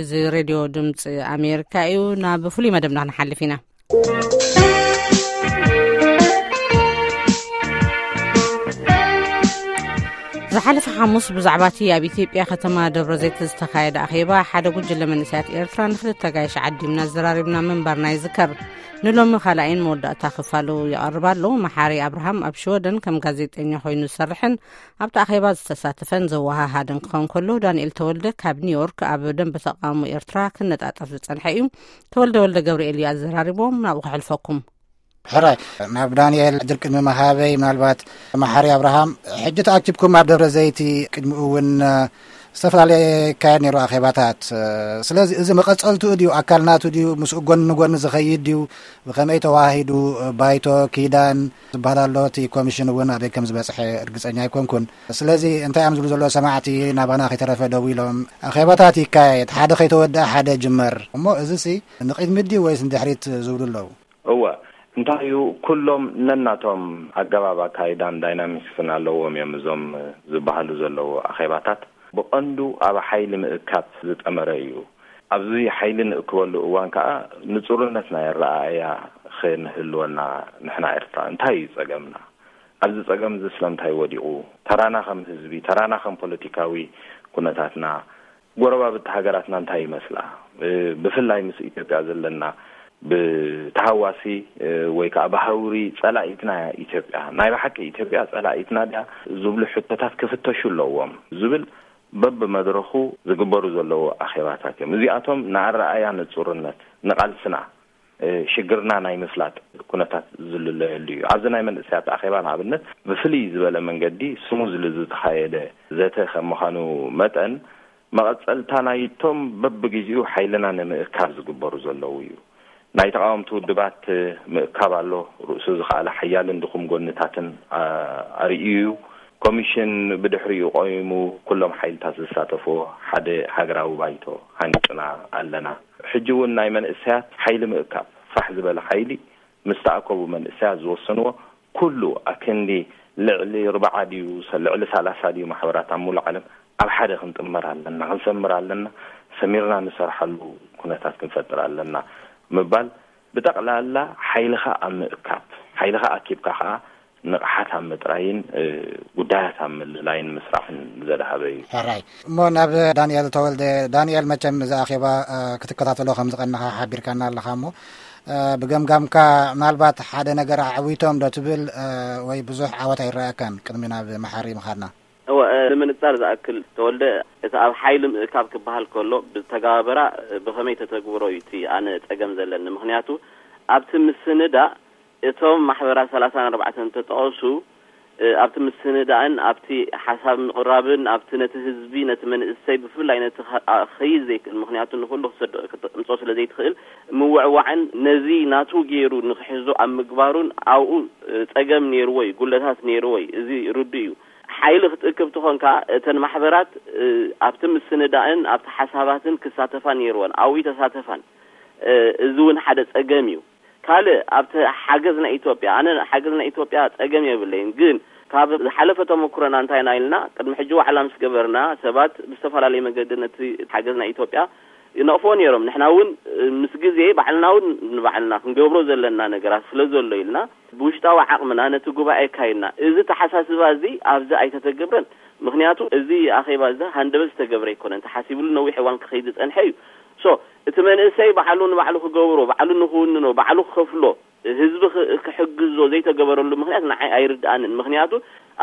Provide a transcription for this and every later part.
እዚ ሬድዮ ድምፂ ኣሜሪካ እዩ። ናብ ፍሉይ መደብና ክንሓልፍ ኢና። ዝሓለፈ ሓሙስ ብዛዕባ እቲ ኣብ ኢትዮጵያ ከተማ ደብረ ዘይት ዝተኻየደ ኣኼባ ሓደ ጉጅለ መንእሰያት ኤርትራ ንክልተ ጋይሽ ዓዲምና ዘራሪብና ምንባርና ይዝከር። ንሎሚ ካልኣይን መወዳእታ ክፋሉ ይቐርብ ኣሎ። መሓሪ ኣብርሃም ኣብ ሽወደን ከም ጋዜጠኛ ኮይኑ ዝሰርሕን ኣብቲ ኣኼባ ዝተሳተፈን ዘወሃሃደን ክኸውን ከሎ፣ ዳንኤል ተወልደ ካብ ኒውዮርክ ኣብ ደንበ ተቓውሞ ኤርትራ ክነጣጠፍ ዝጸንሐ እዩ። ተወልደ ወልደ ገብርኤል እዩ ኣዘራሪቦም። ናብኡ ከሕልፈኩም። ሕራይ፣ ናብ ዳንኤል ዕድል ቅድሚ መሃበይ፣ ምናልባት መሓሪ ኣብርሃም፣ ሕጂ ተኣኪብኩም ኣብ ደብረ ዘይቲ፣ ቅድሚኡ እውን፣ እ፣ ዝተፈላለየ ይካየድ ነይሩ ኣኼባታት። እ፣ ስለዚ እዚ መቐጸልትኡ ድዩ፣ ኣካል ናቱ ድዩ፣ ምስኡ ጎኒ ንጎኒ ዝኸይድ ድዩ፣ ብኸመይ ተዋሂዱ፣ እ፣ ባይቶ፣ ኪዳን ዝበሃል ኣሎ፣ እቲ ኮሚሽን እውን ኣበይ ከም ዝበጽሐ እርግጸኛ ኣይኮንኩን። ስለዚ እንታይ እዮም ዝብሉ ዘለዉ ሰማዕቲ፣ ናባና ከይተረፈ ደዊሎም፣ ኣኼባታት ይካየድ፣ ሓደ ከይተወድአ ሓደ ጅመር፣ እሞ እዚሲ ንቕድሚት ድዩ ወይስ ንድሕሪት ዝብሉ ኣለዉ? እወ፣ እንታይ እዩ፣ ኩሎም ነናቶም ኣገባብ ኣካይዳን ዳይናሚክስን ኣለዎም እዮም እዞም ዝበሃሉ ዘለዉ ኣኼባታት። ብቐንዱ ኣብ ሓይሊ ምእካብ ዝጠመረ እዩ። ኣብዚ ሓይሊ ንእክበሉ እዋን ከኣ ንጹርነት ናይ ኣረኣእያ ክንህልወና፣ ንሕና ኤርትራ እንታይ እዩ ጸገምና? ኣብዚ ጸገም እዚ ስለምንታይ ወዲቑ? ተራና ከም ህዝቢ፣ ተራና ከም ፖለቲካዊ ኩነታትና፣ ጎረባብቲ ሃገራትና እንታይ ይመስላ? እ፣ ብፍላይ ምስ ኢትዮጵያ ዘለና ብተሃዋሲ፣ እ፣ ወይ ከኣ ብሃውሪ ጸላኢትና እያ ኢትዮጵያ። ናይ ብሓቂ ኢትዮጵያ ጸላኢትና ድያ ዝብሉ ሕቶታት ክፍተሹ ኣለዎም ዝብል በብመድረኹ ዝግበሩ ዘለዉ ኣኼባታት እዮም። እዚኣቶም ንኣረኣያ ንጹርነት፣ ንቓልስና፣ እ፣ ሽግርና ናይ ምፍላጥ ኩነታት ዝልለየሉ እዩ። ኣብዚ ናይ መንእሰያት ኣኼባ ንኣብነት ብፍልይ ዝበለ መንገዲ ስሙዝሊ ዝተኻየደ ዘተ ከም ምዃኑ መጠን፣ መቐጸልታ ናይቶም በብግዜኡ ሓይልና ንምእካብ ዝግበሩ ዘለዉ እዩ። ናይ ተቓወምቲ ውድባት ምእካብ ኣሎ። ርእሱ ዝኸኣለ ሓያልን ድኹም ጎንታትን፣ ኣ-፣ ኣርእዩ እዩ። ኮሚሽን ብድሕሪኡ ቆይሙ ኩሎም ሓይልታት ዝሳተፍዎ ሓደ ሃገራዊ ባይቶ ሃኒጽና ኣለና። ሕጂ እውን ናይ መንእሰያት ሓይሊ ምእካብ፣ ፋሕ ዝበለ ሓይሊ ምስ ተኣከቡ መንእሰያት ዝወሰንዎ ኩሉ ኣክንዲ ልዕሊ ኣርብዓ ድዩ፣ ሰ-፣ ልዕሊ ሰላሳ ድዩ ማሕበራት ኣብ ሙሉእ ዓለም ኣብ ሓደ ክንጥመር ኣለና፣ ክንሰምር ኣለና፣ ሰሚርና ንሰርሓሉ ኩነታት ክንፈጥር ኣለና ምባል፣ ብጠቕላላ ሓይልኻ ኣብ ምእካብ፣ ሓይልኻ ኣኪብካ ኸኣ ንቕሓት ኣብ ምጥራይን፣ እ፣ ጉዳያት ኣብ ምልላይን ምስራሕን ዘድሃበ እዩ። ሕራይ። እሞ ናብ ዳንኤል ተወልደ። ዳንኤል፣ መቸም እዚ ኣኼባ፣ እ፣ ክትከታተሎ ከም ዝቐነኻ ሓቢርካና ኣለኻ እሞ፣ እ፣ ብገምጋምካ ምናልባት ሓደ ነገር ኣዕዊቶም ዶ ትብል፣ እ፣ ወይ ብዙሕ ዓወት ኣይረኣየካን ቅድሚ ናብ መሓሪ ምኻድና? እወ፣ እ፣ ንምንጻር ዝኣክል ተወልደ፣ እቲ ኣብ ሓይሊ ምእካብ ክበሃል ከሎ ብተጋባብራ፣ እ፣ ብኸመይ ተተግብሮ እዩ እቲ ኣነ ጸገም ዘለኒ። ምኽንያቱ ኣብቲ ምስንዳእ እቶም ማሕበራት ሰላሳን ኣርባዕተን እንተጠቐሱ፣ እ፣ ኣብቲ ምስንዳእን ኣብቲ ሓሳብ ምቕራብን ኣብቲ ነቲ ህዝቢ፣ ነቲ መንእሰይ ብፍላይ ነቲ ኸ-፣ ኣ-፣ ክኸይድ ዘይክእል፣ ምኽንያቱ ንኹሉ ክሰዶ-፣ ክተምጽኦ ስለ ዘይትኽእል፣ ምውዕዋዕን ነዚ ናቱ ገይሩ ንኽሕዞ ኣብ ምግባሩን ኣብኡ፣ እ፣ ጸገም ነይርዎ እዩ፣ ጉለታት ነይርዎ እዩ። እዚ ርዱእ እዩ። ሓይሊ ክትእክብ ትኾንካ እተን ማሕበራት፣ እ፣ ኣብቲ ምስንዳእን ኣብቲ ሓሳባትን ክሳተፋ ነይርወን፣ ኣብኡ ተሳተፋን። እ፣ እዚ እውን ሓደ ጸገም እዩ። ካልእ ኣብቲ ሓገዝ ናይ ኢትዮጵያ፣ ኣነ ሓገዝ ናይ ኢትዮጵያ ጸገም የብለይን፣ ግን ካብ ዝሓለፈ ተመኩሮና እንታይ ኢና ኢልና፣ ቅድሚ ሕጂ ዋዕላ ምስ ገበርና ሰባት ብዝተፈላለየ መገዲ ነቲ ሓገዝ ናይ ኢትዮጵያ ይነቕፎ ነይሮም። ንሕና እውን፣ እ፣ ምስ ግዜ ባዕልና እውን ንባዕልና ክንገብሮ ዘለና ነገራት ስለ ዘሎ ኢልና ብውሽጣዊ ዓቕምና ነቲ ጉባኤ ኣካይድና። እዚ ተሓሳስባ እዚ ኣብዚ ኣይተተገብረን። ምኽንያቱ እዚ ኣኼባ እዚ ሃንደበት ዝተገብረ ኣይኮነን። ተሓሲብሉ ነዊሕ እዋን ክኸይድ ዝጸንሐ እዩ። ሶ እቲ መንእሰይ ባዕሉ ንባዕሉ ክገብሮ፣ ባዕሉ ንኽውንኖ፣ ባዕሉ ክኸፍሎ፣ ህዝቢ ክ-፣ ክሕግዞ ዘይተገበረሉ ምኽንያት ንዓይ ኣይርድኣንን። ምኽንያቱ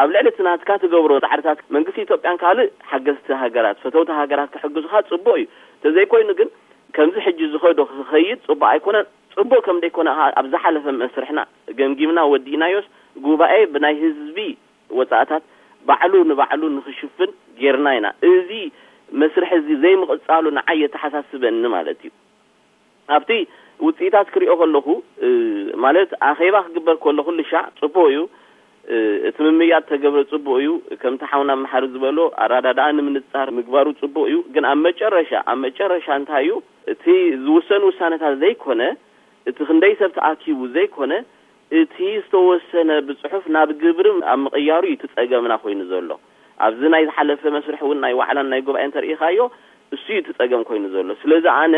ኣብ ልዕሊ እቲ ናትካ ትገብሮ ጻዕርታት መንግስቲ ኢትዮጵያን ካልእ ሓገዝቲ ሃገራት፣ ፈተውቲ ሃገራት ክሕግዙኻ ጽቡቕ እዩ። ተዘይኮይኑ ግን ከምዚ ሕጂ ዝኸዶ ክኸይድ ጽቡቕ ኣይኮነን። ጽቡቕ ከም ደይኮነ ኸኣ ኣብ ዝሓለፈ መስርሕና ገምጊምና ወዲእናዮስ ጉባኤ ብናይ ህዝቢ ወጻእታት ባዕሉ ንባዕሉ ንኽሽፍን ጌርና ኢና። እዚ መስርሕ እዚ ዘይምቕጻሉ ንዓይ የተሓሳስበኒ ማለት እዩ። ኣብቲ ውጽኢታት ክሪኦ ከለኹ፣ እ፣ ማለት ኣኼባ ክግበር ከሎ ኩሉ ሻዕ ጽቡቕ እዩ። እ፣ እቲ ምምያጥ ተገብረ ጽቡቕ እዩ። ከምቲ ሓውና መሓሪ ዝበሎ ኣረዳድኣ ንምንጻር ምግባሩ ጽቡቕ እዩ። ግን ኣብ መጨረሻ፣ ኣብ መጨረሻ እንታይ እዩ? እቲ ዝውሰን ውሳነታት ዘይኮነ፣ እቲ ክንደይ ሰብ ተኣኪቡ ዘይኮነ፣ እቲ ዝተወሰነ ብጽሑፍ ናብ ግብሪ ኣብ ምቕያሩ እዩ እቲ ጸገምና ኮይኑ ዘሎ። ኣብዚ ናይ ዝሓለፈ መስርሕ እውን ናይ ዋዕላን ናይ ጉባኤ እንተርኢኻዮ፣ እሱ እዩ እቲ ጸገም ኮይኑ ዘሎ። ስለዚ ኣነ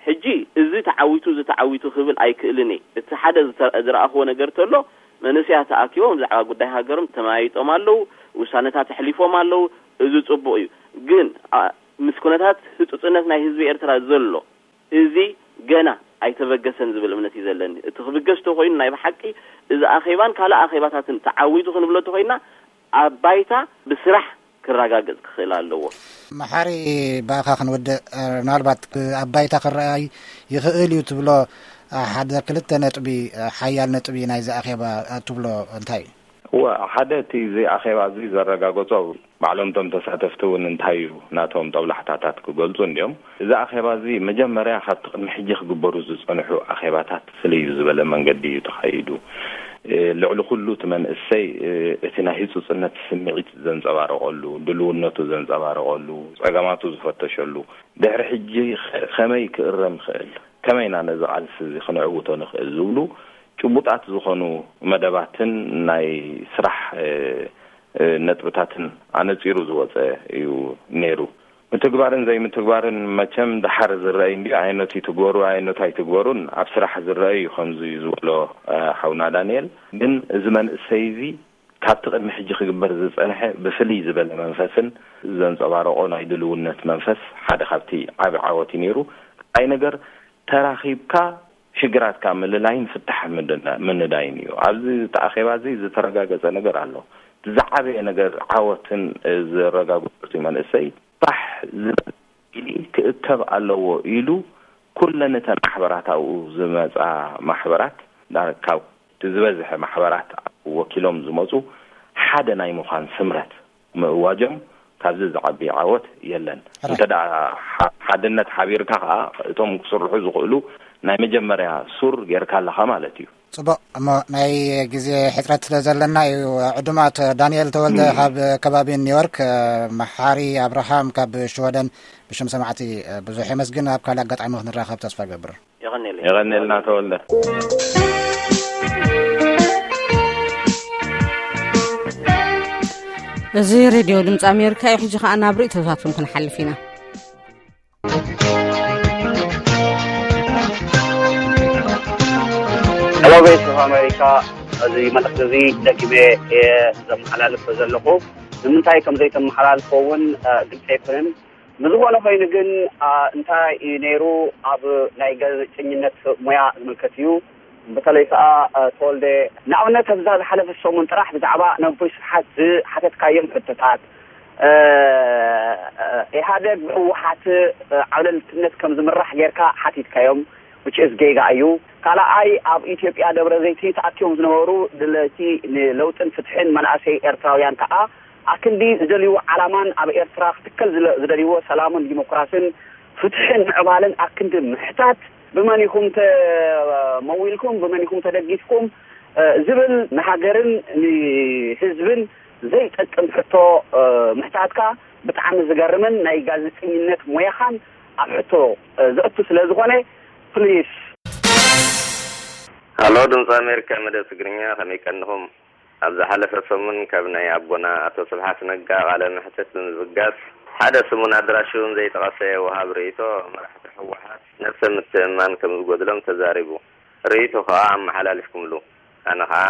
ሕጂ እዚ ተዓዊቱ፣ እዚ ተዓዊቱ ክብል ኣይክእልን እየ። እቲ ሓደ ዝተ-፣ ዝረኣኽዎ ነገር ተሎ፣ መንእሰያት ተኣኪቦም ብዛዕባ ጉዳይ ሃገሮም ተመያይጦም ኣለዉ፣ ውሳነታት ኣሕሊፎም ኣለዉ። እዚ ጽቡቕ እዩ። ግን፣ ኣ-፣ ምስ ኩነታት ህጹጽነት ናይ ህዝቢ ኤርትራ ዘሎ፣ እዚ ገና ኣይተበገሰን ዝብል እምነት እዩ ዘለኒ። እቲ ክብገስ ተኾይኑ ናይ ብሓቂ እዚ ኣኼባን ካልእ ኣኼባታትን ተዓዊቱ ክንብሎ ተኾይና ኣብ ባይታ ብስራሕ ክረጋገጽ ክኽእል ኣለዎ። መሓሪ፣ ብኣኻ ክንውድእ፣ እ፣ ምናልባት ብ-፣ ኣብ ባይታ ክረኣይ ይኽእል እዩ ትብሎ፣ እ፣ ሓደ ክልተ ነጥቢ፣ እ፣ ሓያል ነጥቢ ናይዚ ኣኼባ፣ እ፣ ትብሎ እንታይ እዩ? እወ፣ ሓደ እቲ እዚ ኣኼባ እዚ ዘረጋገጾ፣ ባዕሎም እቶም ተሳተፍቲ እውን እንታይ እዩ ናቶም ጠብላሕታታት ክገልጹ እንዲዮም። እዚ ኣኼባ እዚ መጀመርያ ካብቲ ቅድሚ ሕጂ ክግበሩ ዝጸንሑ ኣኼባታት ፍልይ ብዝበለ መንገዲ እዩ ተኻይዱ። እ፣ ልዕሊ ኩሉ እቲ መንእሰይ፣ እ፣ እቲ ናይ ህጹጽነት ስምዒት ዘንጸባረቐሉ፣ ድልውነቱ ዘንጸባረቐሉ፣ ጸገማቱ ዝፈተሸሉ፣ ድሕሪ ሕጂ ከ-፣ ከመይ ክእረም ይኽእል፣ ከመይ ኢና ነዚ ቃልሲ እዚ ክነዕውቶ ንኽእል ዝብሉ ጭቡጣት ዝኾኑ መደባትን ናይ ስራሕ፣ እ፣ እ፣ ነጥብታትን ኣነጺሩ ዝወጸ እዩ ነይሩ። ምትግባርን ዘይምትግባርን መቸም ደሓር ዝረኣይ እንዲዩ። ኣየነቱ ይትግበሩ፣ ኣየነቱ ኣይትግበሩን ኣብ ስራሕ ዝረኣይ እዩ፣ ከምዚ ዝበሎ፣ እ፣ ሓውና ዳንኤል። ግን እዚ መንእሰይ እዚ ካብቲ ቅድሚ ሕጂ ክግበር ዝጸንሐ ብፍልይ ዝበለ መንፈስን ዘንጸባረቖ ናይ ድልውነት መንፈስ ሓደ ካብቲ ዓቢ ዓወት እዩ ነይሩ። ካልኣይ ነገር፣ ተራኺብካ ሽግራትካ ምልላይን ፍታሕ ምድና-፣ ምንዳይን እዩ። ኣብዚ እቲ ኣኼባ እዚ ዝተረጋገጸ ነገር ኣሎ። ዝዓበየ ነገር ዓወትን ዘረጋግጹ መንእሰይ ፋሕ ዝበለ ኢሊ ክእከብ ኣለዎ ኢሉ ኩለን እተን ማሕበራት ኣብኡ ዝመጻ ማሕበራት ዳ-፣ ካብ እቲ ዝበዝሐ ማሕበራት ወኪሎም ዝመጹ ሓደ ናይ ምዃን ስምረት ምእዋጆም ካብዚ ዝዓቢ ዓወት የለን። ራይት። እንተ ደኣ ሓ-፣ ሓድነት ሓቢርካ ከኣ እቶም ክስርሑ ዝኽእሉ ናይ መጀመርያ ሱር ጌርካ ኣለኻ ማለት እዩ። ጽቡቕ፣ እሞ ናይ ግዜ ሕጽረት ስለ ዘለና እዩ። ዕዱማት፣ ዳንኤል ተወልደ እም። ካብ ከባቢ ኒውዮርክ፣ መሓሪ ኣብርሃም ካብ ሽወደን፣ ብሽም ሰማዕቲ ብዙሕ የመስግን። ኣብ ካልእ ኣጋጣሚ ክንራኸብ ተስፋ እገብር። የቐንየለይ። የቐንየልና ተወልደ። እዚ ሬድዮ ድምፂ ኣሜሪካ እዩ። ሕጂ ኸኣ ናብ ርእይቶታትኩም ክንሓልፍ ኢና። ሄሎ፣ ቮይስ ኦፍ ኣሜሪካ፣ እዚ መልእኽቲ እዚ ደጊመ እየ ዘመሓላልፎ ዘለኹ። ንምንታይ ከም ዘይተመሓላልፎ እውን፣ እ፣ ግልፂ ኣይኮነን። ንዝኾነ ኮይኑ ግን፣ አ፣ እንታይ እዩ ነይሩ፣ ኣብ ናይ ጋዜጠኝነት ሙያ ዝምልከት እዩ። በተለይ ከዓ፣ አ፣ ተወልደ፣ ንኣብነት ኣብዛ ዝሓለፈ ሰሙን ጥራሕ ብዛዕባ ነቦይ ስብሓት ዝሓተትካዮም ሕቶታት፣ እ፣ እ፣ ኢህኣደግ ብህወሓት፣ እ፣ ዓብለልትነት ከም ዝምራሕ ጌርካ ሓቲትካዮም፣ which is ጌጋ እዩ። ካልኣይ፣ ኣብ ኢትዮጵያ ደብረ ዘይቲ ተኣኪቦም ዝነበሩ ድለይቲ ንለውጥን ፍትሕን መናእሰይ ኤርትራውያን ከዓ ኣክንዲ ዝደልይዎ ዓላማን ኣብ ኤርትራ ክትከል ዝለ-፣ ዝደልይዎ ሰላምን ዲሞክራስን ፍትሕን ምዕባለን ኣክንዲ ምሕታት ብመን ኢኹም ተመዊልኩም፣ ብመን ኢኹም ተደጊፍኩም፣ እ፣ ዝብል ንሃገርን ንህዝብን ዘይጠቅም ሕቶ፣ እ፣ ምሕታትካ ብጣዕሚ ዝገርምን ናይ ጋዜጠኝነት ሞያኻን ኣብ ሕቶ፣ እ፣ ዘእቱ ስለ ዝኾነ፣ ፕሊስ። ሃሎ፣ ድምፂ ኣሜሪካ መደብ ትግርኛ፣ ከመይ ቀንኹም? ኣብ ዝሓለፈ ሰሙን ካብ ናይ ኣቦና ኣቶ ስብሓት ነጋ ቃለ መሕትት ብምብጋስ፣ ሓደ ስሙን ኣድራሽኡን ዘይጠቐሰ ወሃብ ርእይቶ፣ መራሕቲ ህወሓት ነብሰ ምትእምማን ከም ዝጎድሎም ተዛሪቡ። ርእይቶ ከኣ ኣመሓላሊፍኩምሉ። ኣነ ከኣ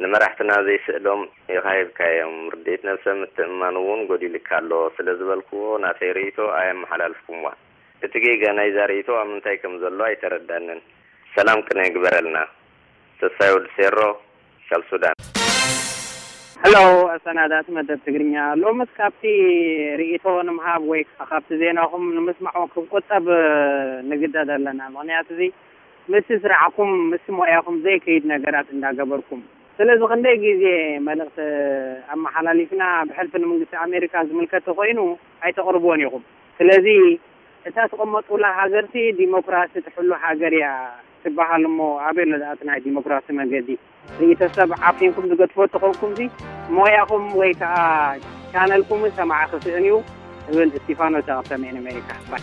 ንመራሕትና ዘይስእሎም ኢኻ ሂብካዮም። ርድኢት ነብሰ ምትእምማን እውን ጎዲሉካ ኣሎ ስለ ዝበልክዎ፣ ናተይ ርእይቶ ኣየመሓላልፍኩምዋን። እቲ ጌጋ ናይዛ ርእይቶ ኣብ ምንታይ ከም ዘሎ ኣይተረዳንን። ሰላም ቅነ ይግበረልና። ተስፋይ ወዲ ሴሮ ካብ ሱዳን። ሄሎ፣ ኣሰናዳእቲ መደብ ትግርኛ፣ ሎምስ ካብቲ ርእይቶ ንምሃብ ወይ ከዓ ካብቲ ዜናኹም ንምስማዕ ክቆጠብ ንግደድ ኣለና። ምኽንያቱ እዚ ምስቲ ስራሕኩም፣ ምስቲ ሞያኹም ዘይከይድ ነገራት እንዳገበርኩም። ስለዚ ክንደይ ግዜ መልእኽቲ ኣመሓላሊፍና፣ ብሕልፊ ንመንግስቲ ኣሜሪካ ዝምልከት ተኾይኑ ኣይተቕርብዎን ኢኹም። ስለዚ እታ ትቕመጡላ ሃገርሲ ዲሞክራሲ ትሕሉ ሃገር እያ ትበሃል እሞ፣ ኣበይ ኣሎ ደኣ እቲ ናይ ዲሞክራሲ መገዲ? ርእይቶ ሰብ ዓፊንኩም ዝገድፎ ተኾንኩምሲ፣ ሞያኹም ወይ ከዓ ቻነልኩም ሰማዒ ክስእን እዩ፣ እብል እስቲፋኖስ ካብ ሰሜን ኣሜሪካ። ባይ።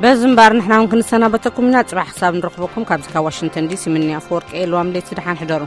በዚ እምበኣር ንሕና እውን ክንሰናበተኩም ኢና። ጽባሕ ክሳብ ንረኽበኩም ካብዚ ካብ ዋሽንግተን ዲሲ ምንያ ኣፈወርቂ እየ። ለዋም ለይቲ ደሓን ሕደሩ።